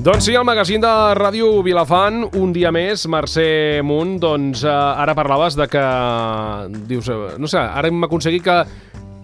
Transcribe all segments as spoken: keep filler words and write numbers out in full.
Doncs sí, el magazín de Ràdio Vilafant, un dia més. Mercè Munt, doncs eh, ara parlaves de que, dius, eh, no sé, ara hem aconseguit que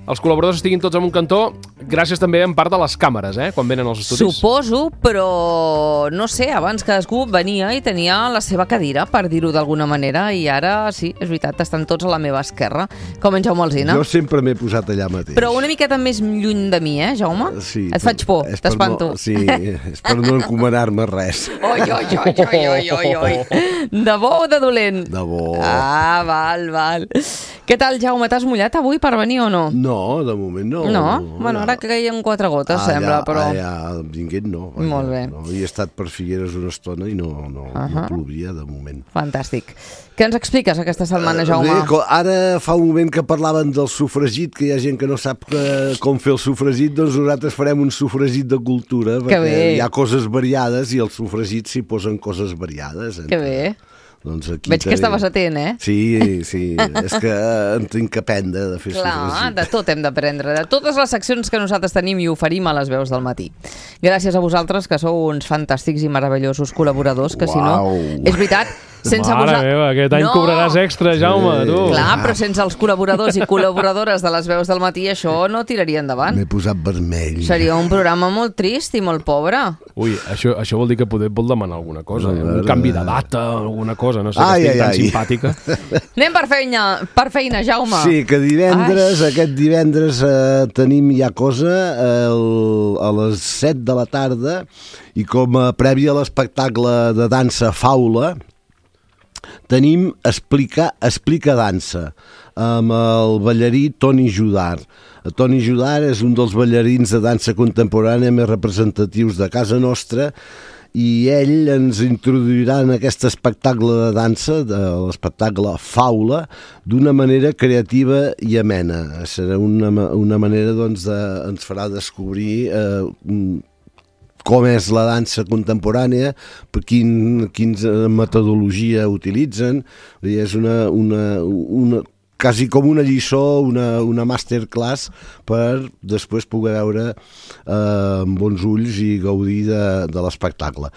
els col·laboradors estiguin tots en un cantó, gràcies també en part a les càmeres, eh, quan venen als estudis. Suposo, però no sé, abans cadascú venia i tenia la seva cadira, per dir-ho d'alguna manera, i ara sí, és veritat, estan tots a la meva esquerra, com en Jaume Alsina. Jo sempre m'he posat allà mateix. Però una miqueta més lluny de mi, eh, Jaume? Sí. Et faig por, t'espanto. No, sí, és per no encomanar-me res. Oi, oi, oi, oi, oi, oi, oi. De bo o de dolent? De bo. Ah, val, val. Què tal, Jaume, t'has mullat avui per venir o no? No, de moment no. No? Bueno, ara que caiem quatre gotes, allà, sembla, però... Allà, vinguent no. Allà, Molt bé. No. He estat per Figueres una estona i no, no, uh -huh. no plovia de moment. Fantàstic. Què ens expliques aquesta setmana, Jaume? Uh, bé, ara fa un moment que parlaven del sofregit, que hi ha gent que no sap que, com fer el sofregit, doncs nosaltres farem un sofregit de cultura, que perquè bé. Hi ha coses variades i al sofregit s'hi posen coses variades. Que bé. Doncs aquí Veig que estaves atent, eh? Sí, sí, és que en tinc que aprendre de fer Clar, sofregit. de tot hem d'aprendre, de totes les seccions que nosaltres tenim i oferim a les veus del matí. Gràcies a vosaltres, que sou uns fantàstics i meravellosos col·laboradors, que si no... És veritat, sense Mare vosaltres... meva, aquest any no. cobraràs extra, Jaume, tu. Clar, però sense els col·laboradors i col·laboradores de les veus del matí això no tiraria endavant. M'he posat vermell. Seria un programa molt trist i molt pobre. Ui, això, això vol dir que poder vol demanar alguna cosa, eh? Un canvi de data, alguna cosa, no sé, Ai, que estigui ai, tan ai. simpàtica. Anem per feina, per feina, Jaume. Sí, que divendres, Ai. aquest divendres eh, tenim ja cosa el, a les set de la tarda i com a prèvia a l'espectacle de dansa Faula tenim Explica, Explica Dansa amb el ballarí Toni Judar. Toni Judar és un dels ballarins de dansa contemporània més representatius de casa nostra i ell ens introduirà en aquest espectacle de dansa, de l'espectacle Faula, d'una manera creativa i amena. Serà una, una manera, doncs, de, ens farà descobrir eh, com és la dansa contemporània, per quin, quina metodologia utilitzen. És una, una, una quasi com una lliçó, una, una masterclass per després poder veure eh, amb bons ulls i gaudir de, de l'espectacle.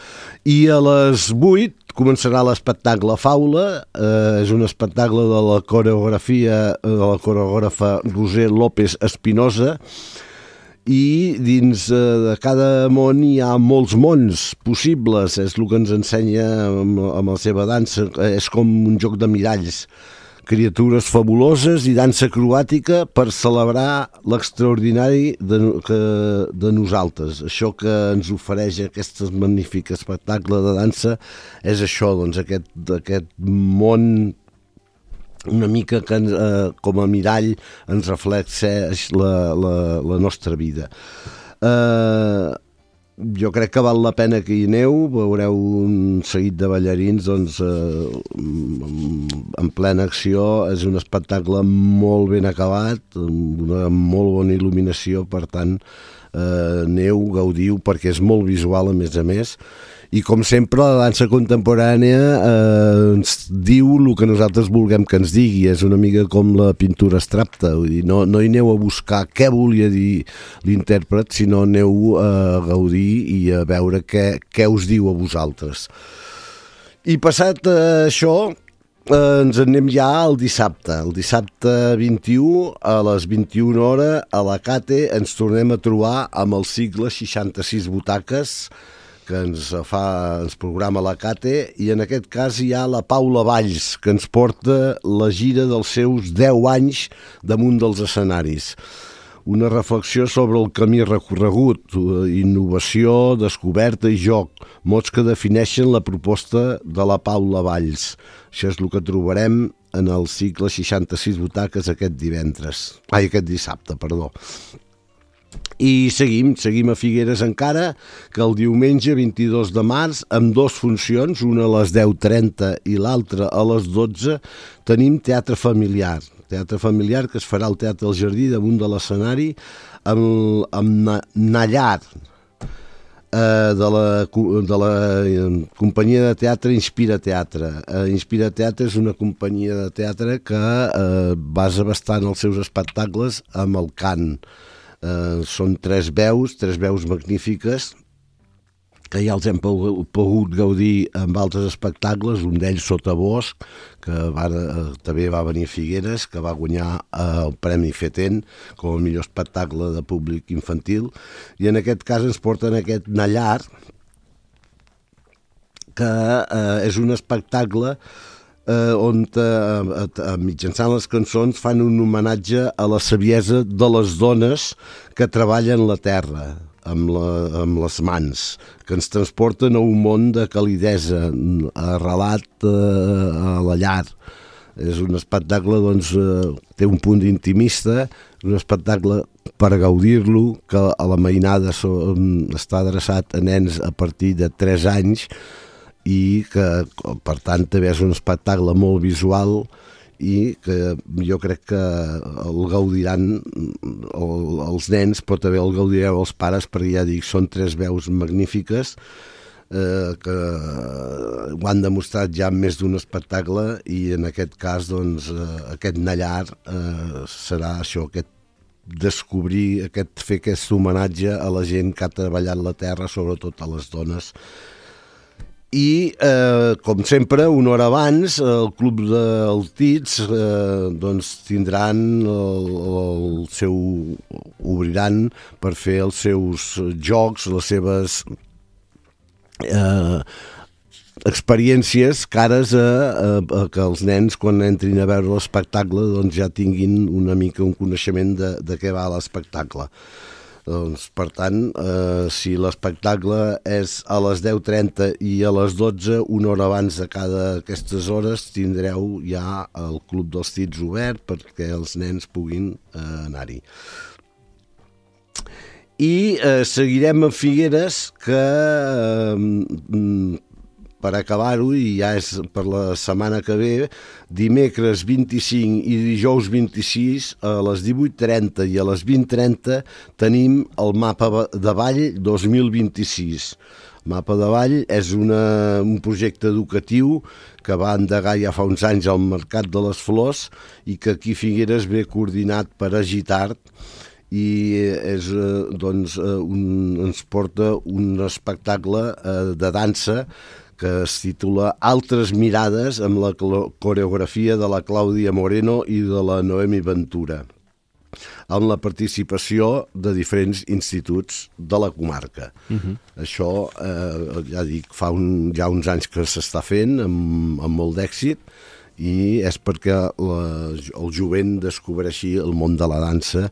I a les vuit començarà l'espectacle Faula, eh, és un espectacle de la coreografia de la coreògrafa Roser López Espinosa, i dins eh, de cada món hi ha molts mons possibles, és el que ens ensenya amb, amb la seva dansa, és com un joc de miralls, criatures fabuloses i dansa acrobàtica per celebrar l'extraordinari de, que, de nosaltres. Això que ens ofereix aquest magnífic espectacle de dansa és això, doncs, aquest, aquest món una mica que eh, com a mirall ens reflexeix la, la, la nostra vida. Eh, jo crec que val la pena que hi aneu, veureu un seguit de ballarins doncs, eh, en plena acció. És un espectacle molt ben acabat, amb una molt bona il·luminació, per tant eh, aneu, gaudiu, perquè és molt visual a més a més. I com sempre la dansa contemporània eh, ens diu el que nosaltres vulguem que ens digui, és una mica com la pintura abstracta, vull dir, no, no hi aneu a buscar què volia dir l'intèrpret, sinó aneu a gaudir i a veure què, què us diu a vosaltres. I passat eh, això, eh, ens anem ja al dissabte. El dissabte vint-i-u, a les vint-i-una hores, a la Cate, ens tornem a trobar amb el cicle seixanta-sis butaques, que ens fa, ens programa la Cate, i en aquest cas hi ha la Paula Valls, que ens porta la gira dels seus deu anys damunt dels escenaris. Una reflexió sobre el camí recorregut, innovació, descoberta i joc, mots que defineixen la proposta de la Paula Valls. Això és el que trobarem en el cicle seixanta-sis butaques aquest divendres, ai, aquest dissabte, perdó. I seguim, seguim a Figueres encara, que el diumenge vint-i-dos de març, amb dues funcions, una a les deu trenta i l'altra a les dotze, tenim teatre familiar. Teatre familiar que es farà al Teatre del Jardí, damunt de l'escenari, amb, amb Nallar, eh, de, la, de la companyia de teatre Inspira Teatre. Eh, Inspira Teatre és una companyia de teatre que eh, basa bastant els seus espectacles amb el cant. Uh, són tres veus, tres veus magnífiques que ja els hem pogut gaudir amb altres espectacles, un d'ells Sotabosc, que va, també va venir a Figueres, que va guanyar el Premi Feten com a millor espectacle de públic infantil, i en aquest cas ens porten aquest Nallar, que eh, és un espectacle eh, on eh, eh, mitjançant les cançons fan un homenatge a la saviesa de les dones que treballen la terra, amb, la, amb les mans, que ens transporten a un món de calidesa, arrelat eh, a la llar. És un espectacle, doncs, eh, té un punt intimista, un espectacle per gaudir-lo, que a la mainada so, està adreçat a nens a partir de tres anys i que, per tant, també és un espectacle molt visual i que jo crec que el gaudiran el, els nens, però també el gaudireu els pares, perquè ja dic, són tres veus magnífiques eh, que ho han demostrat ja en més d'un espectacle, i en aquest cas doncs, eh, aquest Nallar eh, serà això, aquest descobrir, aquest, fer aquest homenatge a la gent que ha treballat la terra, sobretot a les dones. I, eh, com sempre, una hora abans, el Club del Tits eh, doncs, tindran el, el seu... obriran per fer els seus jocs, les seves eh, experiències cares a, a, a que els nens, quan entrin a veure l'espectacle, doncs, ja tinguin una mica un coneixement de, de què va l'espectacle. Doncs, per tant, eh, si l'espectacle és a les deu trenta i a les dotze, una hora abans de cada aquestes hores, tindreu ja el Club dels Tits obert perquè els nens puguin eh, anar-hi. I eh, seguirem a Figueres, que eh, per acabar-ho, i ja és per la setmana que ve, dimecres vint-i-cinc i dijous vint-i-sis a les divuit trenta i a les vint trenta tenim el Mapa de Ball dos mil vint-i-sis. Mapa de Ball és una, un projecte educatiu que va endegar ja fa uns anys al Mercat de les Flors i que aquí Figueres ve coordinat per Agitart, i és, doncs, un, ens porta un espectacle de dansa que es titula Altres mirades, amb la coreografia de la Clàudia Moreno i de la Noemi Ventura, amb la participació de diferents instituts de la comarca. Uh-huh. Això, eh, ja dic, fa un, ja uns anys que s'està fent amb, amb molt d'èxit, i és perquè la, el jovent descobreixi el món de la dansa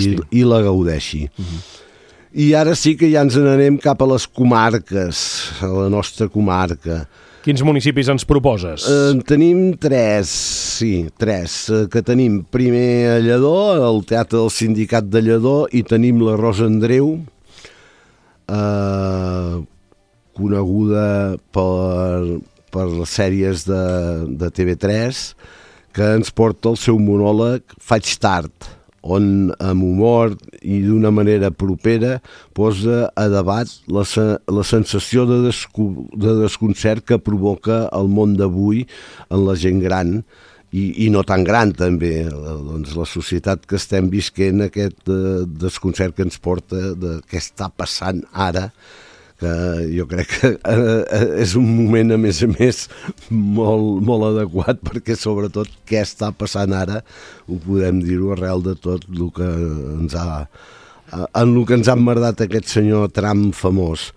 i, i la gaudeixi. Uh-huh. I ara sí que ja ens n'anem cap a les comarques, a la nostra comarca. Quins municipis ens proposes? En eh, tenim tres, sí, tres, eh, que tenim primer a Lledó, el Teatre del Sindicat de Lledó, i tenim la Rosa Andreu, eh, coneguda per, per les sèries de, de T V tres, que ens porta el seu monòleg Faig tard, on amb humor i d'una manera propera posa a debat la, la sensació de, desco, de desconcert que provoca el món d'avui en la gent gran i, i no tan gran també, doncs la societat que estem visquent, aquest eh, desconcert que ens porta de què està passant ara, que jo crec que és un moment, a més a més, molt, molt adequat, perquè sobretot què està passant ara ho podem dir-ho arrel de tot el que ens ha, en el que ens ha emmerdat aquest senyor Trump famós.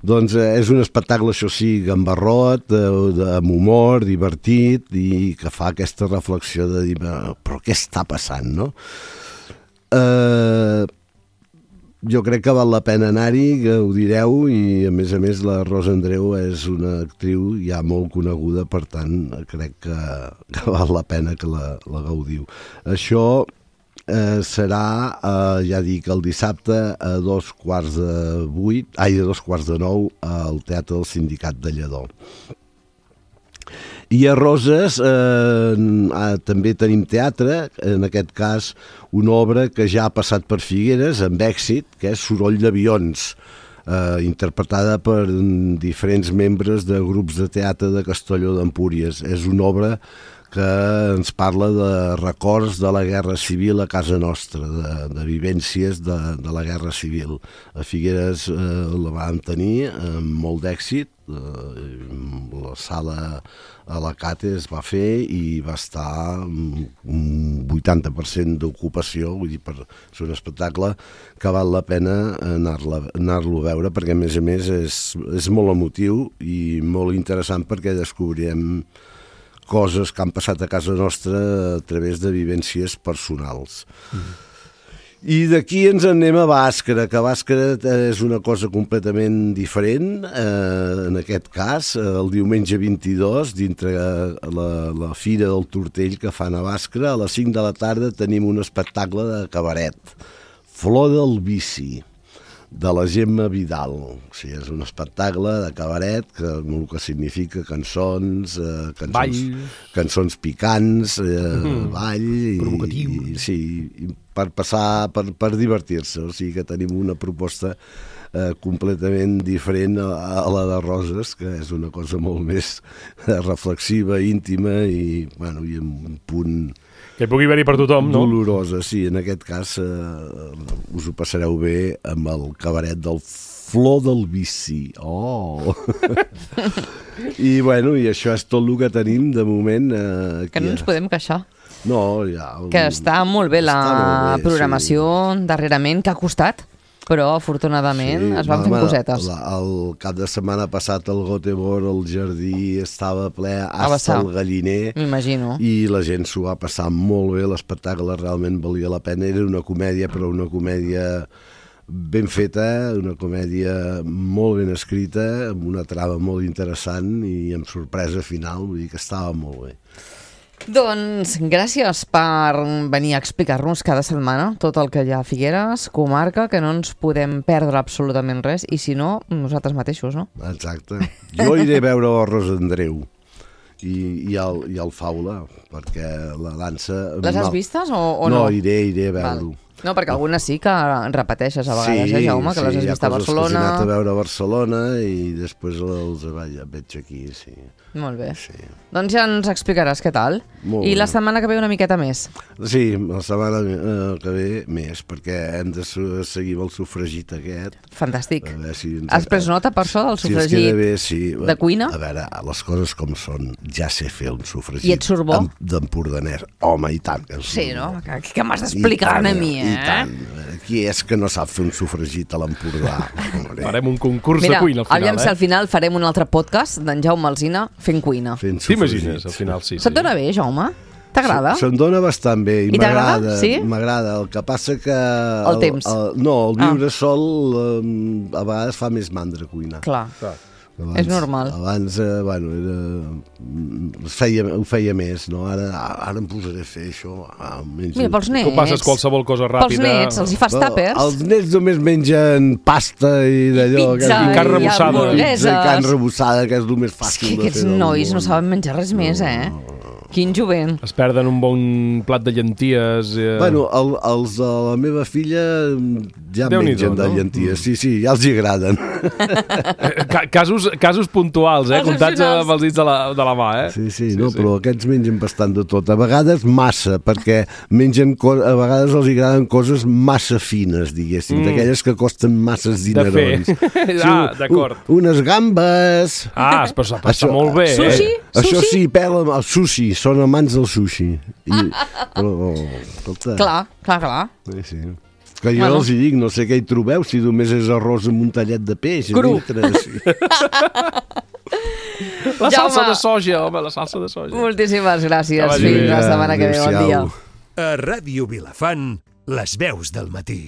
Doncs és un espectacle, això sí, gambarrot, amb humor, divertit, i que fa aquesta reflexió de dir, però què està passant, no? Eh... Jo crec que val la pena anar-hi, que ho direu, i a més a més la Rosa Andreu és una actriu ja molt coneguda, per tant crec que, que val la pena que la, la gaudiu. Això eh, serà, eh, ja dic, el dissabte a dos quarts de vuit, ai, a dos quarts de nou al Teatre del Sindicat de Lledó. I a Roses eh, també tenim teatre, en aquest cas una obra que ja ha passat per Figueres amb èxit, que és Soroll d'avions, eh, interpretada per diferents membres de grups de teatre de Castelló d'Empúries. És una obra que ens parla de records de la Guerra Civil a casa nostra, de, de vivències de, de la Guerra Civil. A Figueres eh, la vam tenir amb molt d'èxit, eh, la sala a la Cate es va fer i va estar un vuitanta per cent d'ocupació, vull dir, per ser un espectacle que val la pena anar-lo anar-lo a veure, perquè a més a més és, és molt emotiu i molt interessant perquè descobrirem coses que han passat a casa nostra a través de vivències personals. Mm. I d'aquí ens anem a Bàscara, que Bàscara és una cosa completament diferent. Eh, en aquest cas, el diumenge vint-i-dos, dintre la, la Fira del Tortell que fan a Bàscara, a les cinc de la tarda tenim un espectacle de cabaret, Flor del Vici, de la Gemma Vidal. O sigui, és un espectacle de cabaret que el que significa cançons, eh, cançons, ball, cançons picants, eh, mm. ball i, provocatiu. I, sí, i per passar, per, per divertir-se. O sigui que tenim una proposta eh, completament diferent a, a la de Roses, que és una cosa molt més reflexiva, íntima i, bueno, i amb un punt que pugui haver-hi per tothom, no? Dolorosa, sí. En aquest cas eh, us ho passareu bé amb el cabaret del Flor del Vici. Oh! I, bueno, i això és tot el que tenim de moment. Eh, que no ens podem queixar. No, ja... Que està molt bé la molt bé, programació sí. darrerament, que ha costat, però afortunadament sí, es van fent cosetes. La, el cap de setmana passat el Göteborg, el jardí estava ple hasta el galliner. M'imagino. I la gent s'ho va passar molt bé, l'espectacle realment valia la pena. Era una comèdia, però una comèdia ben feta, una comèdia molt ben escrita, amb una trama molt interessant i amb sorpresa final, vull dir que estava molt bé. Doncs gràcies per venir a explicar-nos cada setmana tot el que hi ha a Figueres, comarca, que no ens podem perdre absolutament res, i si no, nosaltres mateixos, no? Exacte. Jo iré a veure el Ros Andreu i, i, el, i el Faula, perquè la dansa... Les has vistes o, o no? No, iré, iré a veure-ho. No, perquè algunes sí que repeteixes a vegades, sí, eh, Jaume, que sí, les has vist a Barcelona. Sí, hi ha coses que he anat a veure a Barcelona i després els veig aquí, sí. Molt bé. Sí. Doncs ja ens explicaràs què tal. Molt I bé. La setmana que ve una miqueta més. Sí, la setmana eh, que ve més, perquè hem de seguir amb el sofregit aquest. Fantàstic. Si ens... Has pres nota per això del sofregit si bé, sí. de cuina? A veure, les coses com són, ja sé fer un sofregit. I et surt bo? D'empordanès. Home, i tant. Que sí, no? Que, que m'has d'explicar a mi, eh? I tant. Qui és que no sap fer un sofregit a l'Empordà? Farem un concurs Mira, de cuina al final, aviam eh? si al final farem un altre podcast d'en Jaume Alsina fent cuina. Fent t'imagines, al final, sí. Se't sí. dona bé, Jaume? T'agrada? Se'm dona bastant bé i, I m'agrada. Sí? M'agrada. El que passa que... El, el temps. El, no, el viure ah. sol um, a vegades fa més mandra cuinar. Clar. Clar. Abans, és normal. Abans, eh, bueno, era, feia, ho feia més, no? Ara, ara em posaré a fer això. Ah, Mira, pels nets. Tu passes qualsevol cosa ràpida. Pels nets, els hi fas tàpers. Els nets només mengen pasta i d'allò. Pizza i carn rebossada. I carn rebossada, que és el més fàcil és que de fer. Aquests nois no saben menjar res més, eh? No. Quin jovent. Es perden un bon plat de llenties. Eh... Bueno, el, els de la meva filla ja Déu mengen de no? llenties. Sí, sí, ja els hi agraden. casos, casos puntuals, eh? Comptats amb els dits de la, de la mà, eh? Sí, sí, sí, no, sí. Però aquests mengen bastant de tot. A vegades massa, perquè mengen a vegades els agraden coses massa fines, diguéssim, mm. d'aquelles que costen masses dinerons. De fer. Ah, d'acord. Un, unes gambes... Ah, però s'ha passat molt bé, sushi? eh? Això sí, pela el sushi, són amants del sushi. I, però, oh, escolta. Clar, clar, clar. Sí, sí. Que jo bueno. els hi dic, no sé què hi trobeu, si només és arròs amb un tallet de peix. Cru. Dintre, sí. La salsa de soja, home, la salsa de soja. Moltíssimes gràcies. Fins la setmana que ve. Bon dia. A Ràdio Vilafant, les veus del matí.